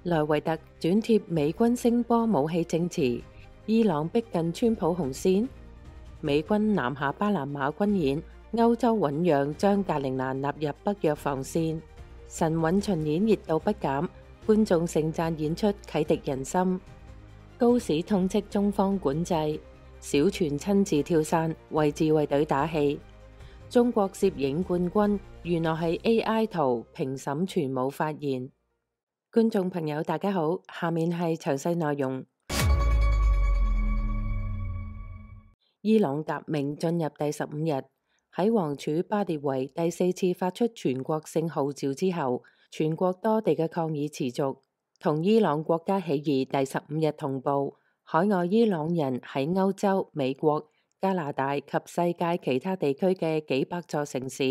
萊維特轉貼美軍聲波武器證詞，伊朗逼近川普紅線。美軍南下巴拿馬軍演，歐洲醞釀將格陵蘭納入北約防線。神韻巡演熱度不減，觀眾盛讚演出啟迪人心。高市痛斥中方管制，小泉親自跳傘為自衛隊打氣。中國攝影冠軍原來係 AI 圖，評審全冇發言。觀眾朋友大家好，下面係詳細內容。伊朗革命進入第15日，喺王儲巴列維第4次發出全國性號召之後，全國多地嘅抗議持續。同伊朗國家起義第15日同步，海外伊朗人喺歐洲、美國、加拿大及世界其他地區嘅幾百座城市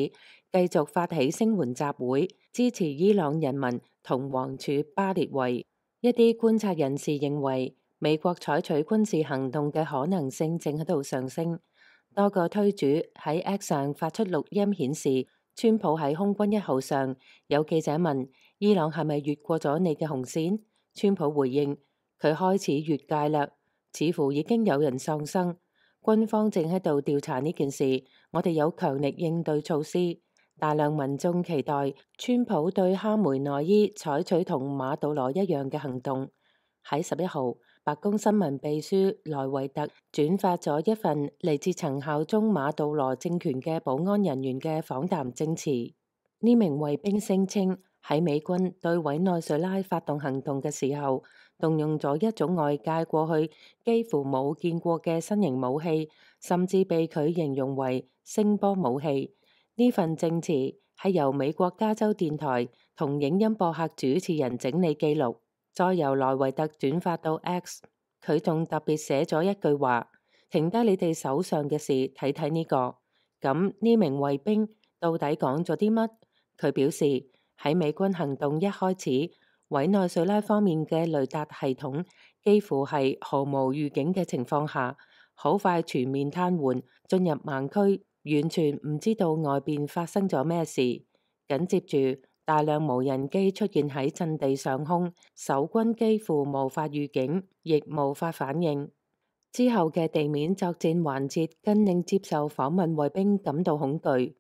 繼續發起聲援集會，支持伊朗人民同王儲巴列維。一啲觀察人士認為，美國採取軍事行動嘅可能性正喺度上升。多個推主喺 X 上發出錄音顯示，川普喺空軍1號上，有記者問伊朗係咪越過咗你嘅紅線？川普回應佢開始越界啦，似乎已經有人喪生。軍方正喺度調查呢件事，我哋有強力應對措施。大量民眾期待川普對哈梅內伊採取同馬杜羅一樣嘅行動。喺11號，白宮新聞秘書萊維特轉發咗一份嚟自曾效忠馬杜羅政權嘅保安人員嘅訪談證詞。呢名衛兵聲稱喺美軍對委內瑞拉發動行動嘅時候，動用咗一種外界過去幾乎冇見過嘅新型武器，甚至被佢形容為聲波武器。呢份證詞係由美國加州電台同影音播客主持人整理記錄，再由萊維特轉發到 X。佢仲特別寫咗一句話：停低你哋手上嘅事，睇睇呢個。咁呢名衛兵到底講咗啲乜？佢表示喺美軍行動一開始，委內瑞拉方面嘅雷達系統幾乎係毫無預警嘅情況下，好快全面癱瘓，進入盲區，完全唔知道外邊發生咗咩事。緊接住，大量無人機出現喺陣地上空，守軍幾乎無法預警，亦無法反應。之後嘅地面作戰環節更令接受訪問衛兵感到恐懼。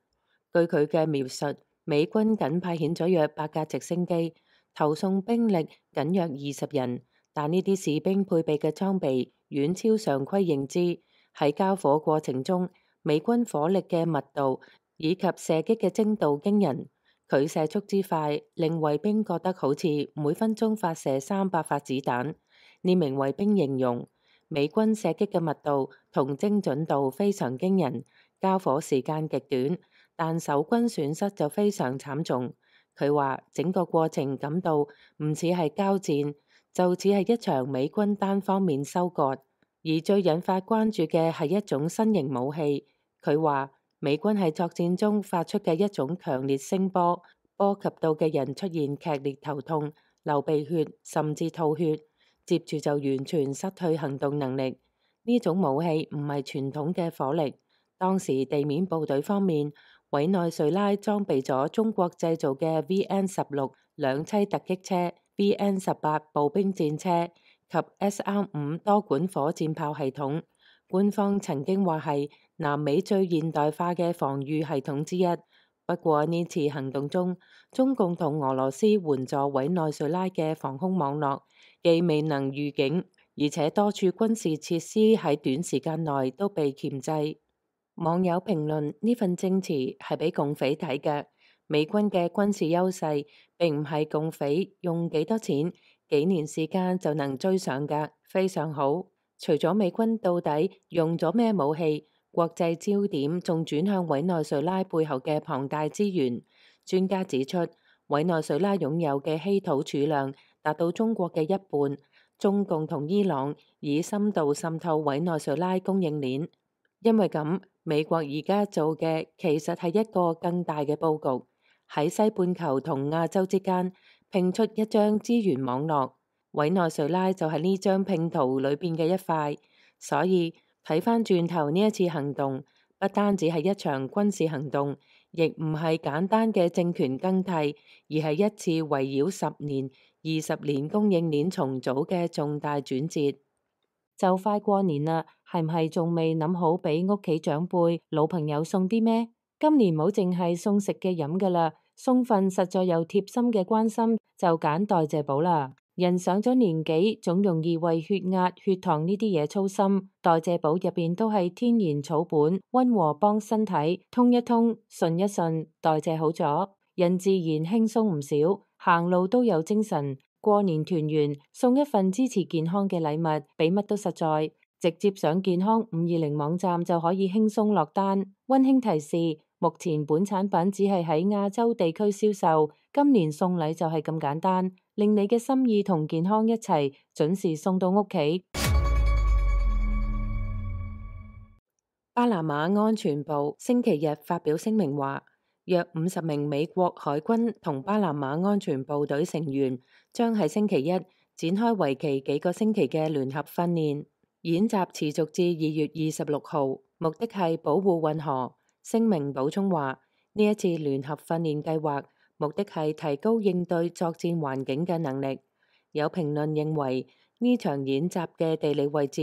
據佢嘅描述，美軍僅派遣咗約8架直升機，投送兵力僅約20人，但呢啲士兵配備嘅裝備遠超常規認知。喺交火過程中，美軍火力嘅密度以及射擊嘅精度驚人，佢射速之快令衛兵覺得好似每分鐘發射300發子彈。呢名衛兵形容美軍射擊嘅密度同精準度非常驚人，交火時間極短，但守軍損失就非常慘重。佢話整個過程感到唔似係交戰，就似係一場美軍單方面收割。而最引發關注嘅係一種新型武器。佢話美軍喺作戰中發出嘅一種強烈聲波，波及到嘅人出現劇烈頭痛、流鼻血，甚至吐血，接住就完全失去行動能力。呢種武器唔係傳統嘅火力。當時地面部隊方面，委內瑞拉裝備咗中國製造嘅 VN-16 兩棲突擊車、VN-18 步兵戰車及 SR-5 多管火箭炮系統。官方曾經話係南美最現代化嘅防禦系統之一。不過呢次行動中，中共同俄羅斯援助委內瑞拉嘅防空網絡既未能預警，而且多處軍事設施喺短時間內都被鉗制。網友評論呢份證詞係俾共匪睇嘅。美軍嘅軍事優勢並唔係共匪用幾多錢、幾年時間就能追上㗎，非常好。除咗美軍到底用咗咩武器，國際焦點仲轉向委內瑞拉背後嘅龐大資源。專家指出，委內瑞拉擁有嘅稀土儲量達到中國嘅1半。中共同伊朗以深度滲透委內瑞拉供應鏈。因為咁，美國而家做嘅其實係一個更大嘅佈局，喺西半球同亞洲之間拼出一張資源網絡。委內瑞拉就係呢張拼圖裏邊嘅一塊。所以睇返轉頭呢一次行動，不單止係一場軍事行動，而亦唔係簡單嘅政權更替，而係一次圍繞10年、20年供應鏈重組嘅重大轉折。就快過年啦，係唔係仲未諗好俾屋企長輩、老朋友送啲咩？今年冇淨係送食嘅飲㗎啦，送份實在又貼心嘅關心，就揀代謝寶啦。人上咗年紀，總容易為血壓、血糖呢啲嘢操心。代謝寶入邊都係天然草本，溫和幫身體通一通、順一順，代謝好咗，人自然輕鬆唔少，行路都有精神。過年團圓，送一份支持健康嘅禮物，比乜都實在。直接上健康520網站就可以輕鬆落單。溫馨提示：目前本產品只係喺亞洲地區銷售，今年送禮就係咁簡單，令你嘅心意同健康一齊準時送到屋企。巴拿馬安全部星期日發表聲明話，約50名美國海軍同巴拿馬安全部隊成員將喺星期一展開為期幾個星期嘅聯合訓練。演習持續至2月26號，目的係保護運河。聲明補充話，呢一次聯合訓練計劃目的係提高應對作戰環境嘅能力。有評論認為呢場演習嘅地理位置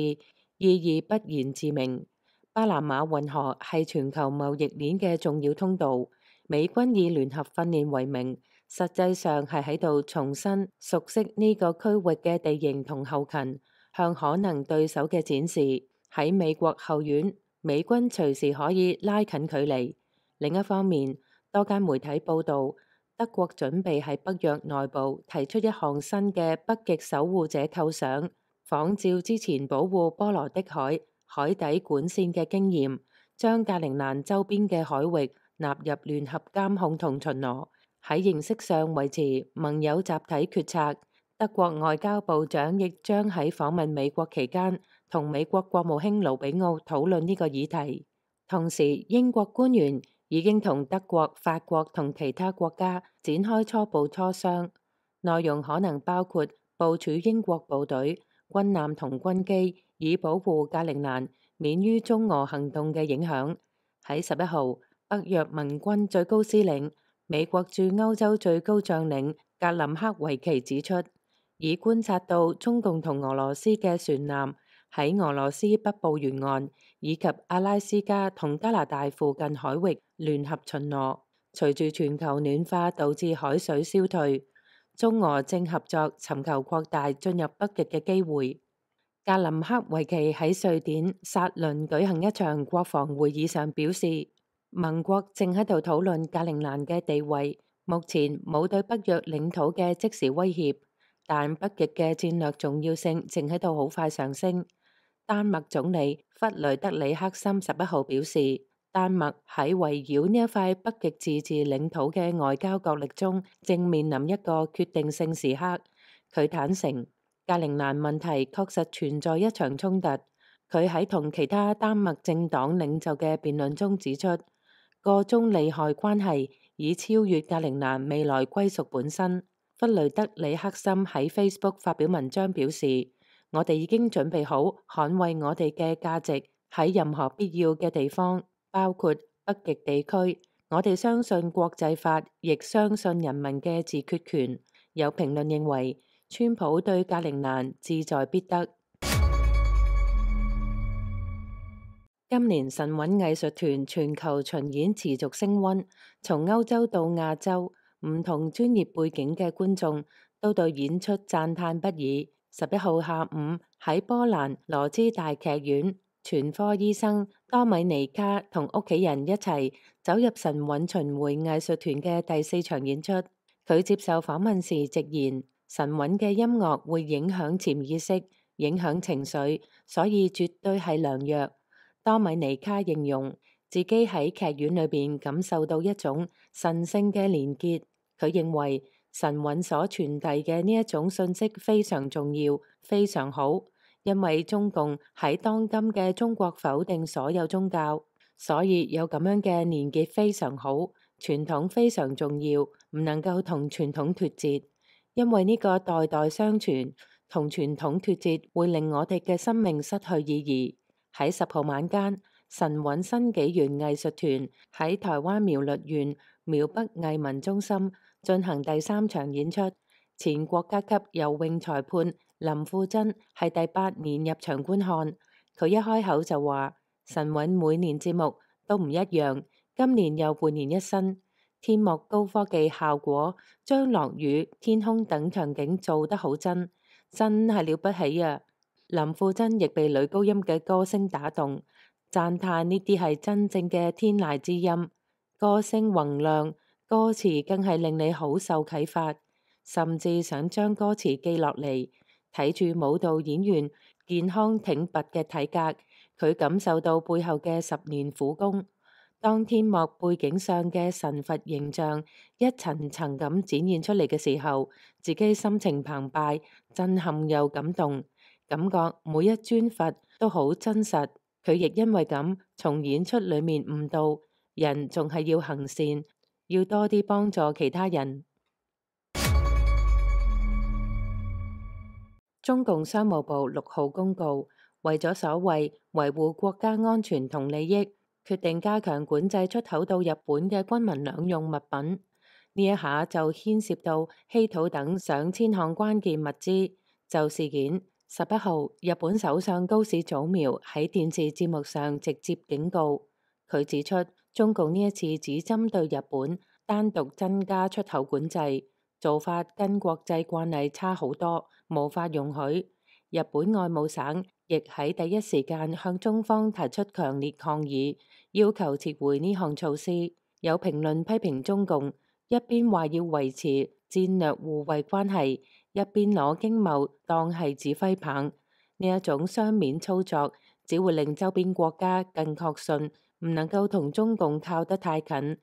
意義不言自明。巴拿馬運河係全球貿易鏈嘅重要通道，美軍以聯合訓練為名，實際上係喺度重新熟悉呢個區域嘅地形同後勤，向可能對手嘅展示，喺美國後院，美軍隨時可以拉近距離。另一方面，多間媒體報導，德國準備喺北約內部提出一項新嘅北極守護者構想，仿照之前保護波羅的海海底管線嘅經驗，將格陵蘭周邊嘅海域納入聯合監控同巡邏，喺形式上維持盟友集體決策。德國外交部長亦將喺訪問美國期間同美國國務卿盧比奧討論呢個議題。同時，英國官員已經同德國、法國同其他國家展開初步磋商，內容可能包括部署英國部隊、軍艦同軍機，以保護格陵蘭免於中俄行動嘅影響。喺11號，北約盟軍最高司令、美國駐歐洲最高將領格林克維奇指出，已觀察到中共同俄羅斯嘅船艦喺俄羅斯北部沿岸以及阿拉斯加同加拿大附近海域聯合巡邏。隨住全球暖化導致海水消退，中俄正合作尋求擴大進入北極嘅機會。格林克維奇喺瑞典薩倫舉行一場國防會議上表示，盟國正喺度討論格陵蘭嘅地位，目前冇對北約領土嘅即時威脅，但北極嘅戰略重要性正喺度好快上升。丹麥總理弗雷德里克森11號表示，丹麥喺圍繞呢一塊北極自治領土嘅外交角力中，正面臨一個決定性時刻。佢坦承，格陵蘭問題確實存在一場衝突。佢喺同其他丹麥政黨領袖嘅辯論中指出，個中利害關係已超越格陵蘭未來歸屬本身。弗雷德里克森喺 Facebook 發表文章表示，我哋已經準備好捍衛我哋嘅價值喺任何必要嘅地方，包括北極地區。我哋相信國際法，亦相信人民嘅自決權。有評論認為，川普對格陵蘭志在必得。今年神韻藝術團全球巡演持續升溫，從歐洲到亞洲，唔同專業背景嘅觀眾都對演出讚嘆不已。11號下午喺波蘭羅茲大劇院，全科醫生多米尼卡同屋企人一齊走入神韻巡迴藝術團嘅第4場演出。佢接受訪問時直言，神韻嘅音樂會影響潛意識，影響情緒，所以絕對係良藥。多米尼卡形容自己喺劇院裏邊感受到一種神聖嘅連結。佢認為神韻所傳遞嘅呢一種信息非常重要，非常好，因為中共喺當今嘅中國否定所有宗教，所以有咁樣嘅連結非常好。傳統非常重要，唔能夠同傳統脫節，因為呢個代代相傳，同傳統脫節會令我哋嘅生命失去意義。喺10號晚間，神韻新紀元藝術團喺台灣苗栗縣苗北藝文中心進行第3場演出。前國家級游泳裁判林富珍係第8年入場觀看，佢一開口就話：神韻每年節目都唔一樣，今年又煥然一新，天幕高科技效果將落雨、天空等場景做得好真係了不起啊！林富珍亦被女高音嘅歌聲打動，讚嘆呢啲係真正嘅天籟之音，歌聲宏亮，歌詞更係令你好受啟發，甚至想將歌詞記落嚟。睇住舞蹈演員健康挺拔嘅體格，佢感受到背後嘅10年苦功。當天幕背景上嘅神佛形象一層層咁展現出嚟嘅時候，自己心情澎湃，震撼又感動，感覺每一尊佛都好真實。佢亦因為咁從演出裏面悟到，人仲係要行善，要多啲幫助其他人。中共商務部6號公告，為咗所謂維護國家安全同利益，決定加強管制出口到日本嘅軍民兩用物品。呢一下就牽涉到稀土等上千項關鍵物資。就事件，11號日本首相高市早苗喺電視節目上直接警告，佢指出中共呢一次只針對日本，單獨增加出口管制，做法跟國際慣例差好多，無法容許。日本外務省亦喺第一時間向中方提出強烈抗議，要求撤回呢項措施。有評論批評中共一邊話要維持戰略互惠關係，一邊攞經貿當係指揮棒，呢一種雙面操作只會令周邊國家更確信唔能夠同中共靠得太近。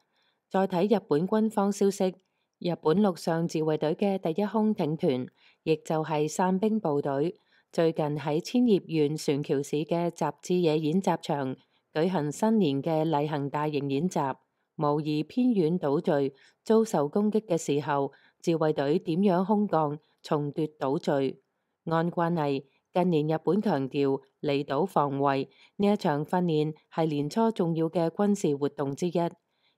再睇日本軍方消息，日本陸上自衛隊嘅第1空挺團，亦就係傘兵部隊，最近喺千葉縣船橋市嘅習志野演習場舉行新年嘅例行大型演習，模擬偏遠島嶼遭受攻擊嘅時候，自衛隊點樣空降重奪島嶼。按慣例，近年日本強調離島防衛，呢一場訓練係年初重要嘅軍事活動之一。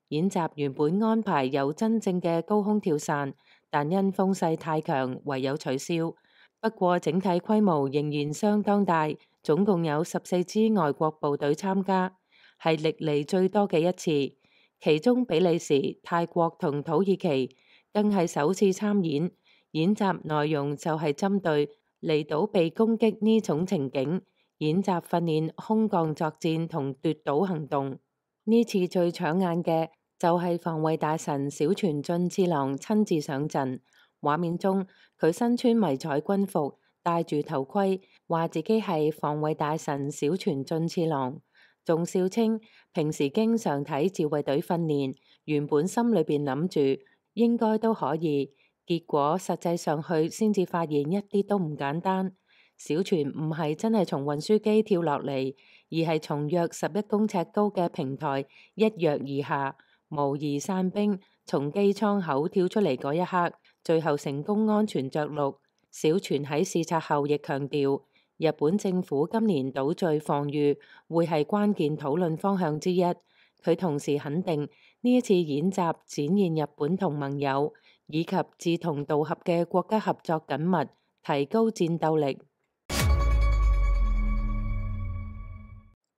演習原本安排有真正嘅高空跳傘，但因風勢太強，唯有取消。不過整體規模仍然相當大，總共有14支外國部隊參加，係歷嚟最多嘅一次。其中比利時、泰國同土耳其更係首次參演。演習內容就係針對離島被攻擊呢種情景，演習訓練空降作戰同奪島行動。呢次最搶眼嘅就係防衛大臣小泉進次郎親自上陣，畫面中佢身穿迷彩軍服，戴住頭盔，話自己係防衛大臣小泉進次郎，仲笑稱平時經常睇自衛隊訓練，原本心裏邊諗住應該都可以，結果實際上去先至發現一啲都唔簡單。小泉唔係真係從運輸機跳落嚟，而係從約11公尺高嘅平台一躍而下。模擬傘兵從機艙口跳出嚟嗰一刻，最後成功安全着陸。小泉喺視察後亦強調，日本政府今年島嶼防禦會係關鍵討論方向之一。佢同時肯定呢一次演習展現日本同盟友以及志同道合嘅國家合作緊密，提高戰鬥力。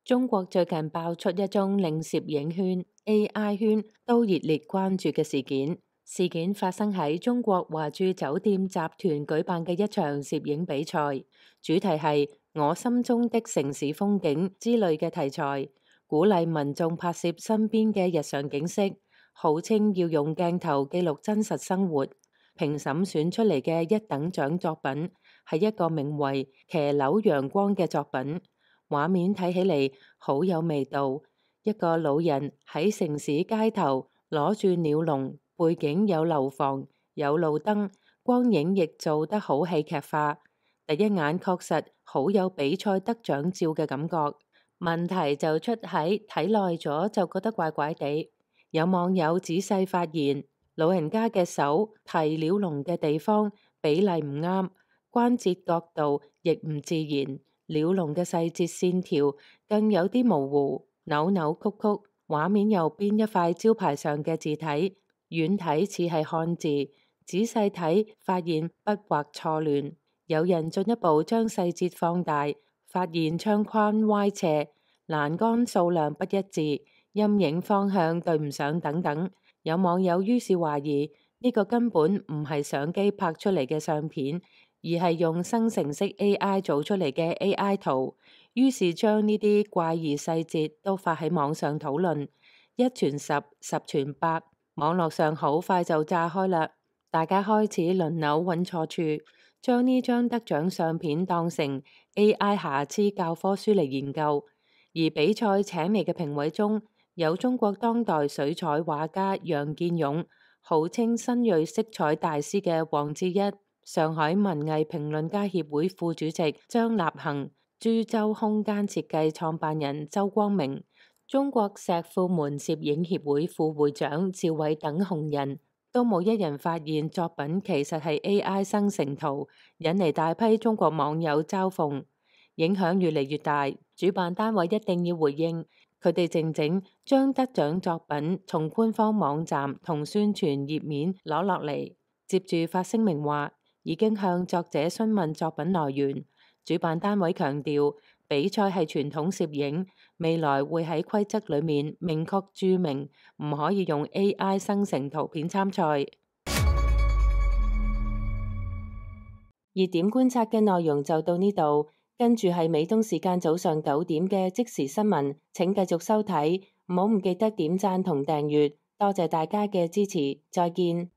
中國最近爆出一宗令攝影圈、AI 圈都熱烈關注嘅事件。事件發生喺中國華住酒店集團舉辦嘅一場攝影比賽，主題係我心中的城市風景之類嘅題材，鼓勵民眾拍攝身邊嘅日常景色，號稱要用鏡頭記錄真實生活。評審選出嚟嘅一等獎作品係一個名為《騎樓陽光》嘅作品。畫面睇起嚟好有味道，一個老人喺城市街頭攞住鳥籠，背景有樓房，有路燈，光影亦做得好戲劇化。第一眼確實好有比賽得獎照嘅感覺。問題就出喺睇耐咗就覺得怪怪地。有網友仔細發現，老人家嘅手提鳥籠嘅地方比例唔啱，關節角度亦唔自然。鳥籠嘅細節線條更有啲模糊，扭扭曲曲，畫面右邊一塊招牌上嘅字體，遠睇似係漢字，仔細睇發現筆畫錯亂。有人進一步將細節放大，發現窗框歪斜、欄杆數量不一致、陰影方向對唔上等等。有網友於是懷疑呢個根本唔係相機拍出嚟嘅相片，而係用生成式 AI 做出嚟嘅 AI 圖。於是將呢啲怪異細節都發喺網上討論，一傳十，十傳百，網絡上好快就炸開啦。大家開始輪流揾錯處，將呢張得獎相片當成 AI 瑕疵教科書嚟研究。而比賽請嚟嘅評委中有中國當代水彩畫家楊建勇，號稱新銳色彩大師嘅黃志一，上海文藝評論家協會副主席張立恒，株洲空間設計創辦人周光明，中國石庫門攝影協會副會長趙偉等紅人，都冇一人發現作品其實係 AI 生成圖，引嚟大批中國網友嘲諷，影響越嚟越大。主辦單位一定要回應，佢哋靜靜將得獎作品從官方網站同宣傳頁面攞落嚟，接住發聲明話已經向作者詢問作品來源。主辦單位強調，比賽係傳統攝影，未來會喺規則裏面明確註明，唔可以用 AI 生成圖片參賽。熱點觀察嘅內容就到呢度，跟住係美東時間早上9點嘅即時新聞，請繼續收睇，唔好唔記得點讚同訂閱，多謝大家嘅支持，再見。